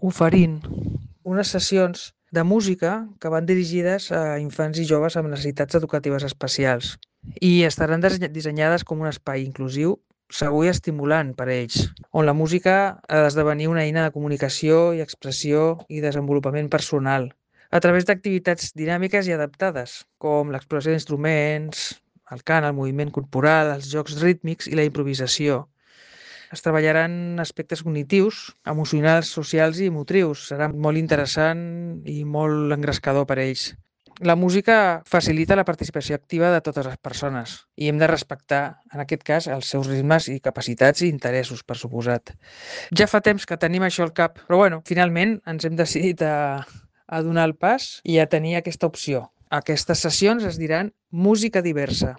oferint unes sessions de música que van dirigides a infants i joves amb necessitats educatives especials i estaran dissenyades com un espai inclusiu, segur i estimulant per a ells, on la música ha d'esdevenir una eina de comunicació i expressió i desenvolupament personal, a través d'activitats dinàmiques i adaptades, com l'exploració d'instruments, el cant, el moviment corporal, els jocs rítmics i la improvisació. Es treballaran aspectes cognitius, emocionals, socials i motrius. Serà molt interessant i molt engrescador per a ells. La música facilita la participació activa de totes les persones i hem de respectar, en aquest cas, els seus ritmes i capacitats i interessos, per suposat. Ja fa temps que tenim això al cap, però bueno, finalment ens hem decidit a donar el pas i a tenir aquesta opció. Aquestes sessions es diran música diversa.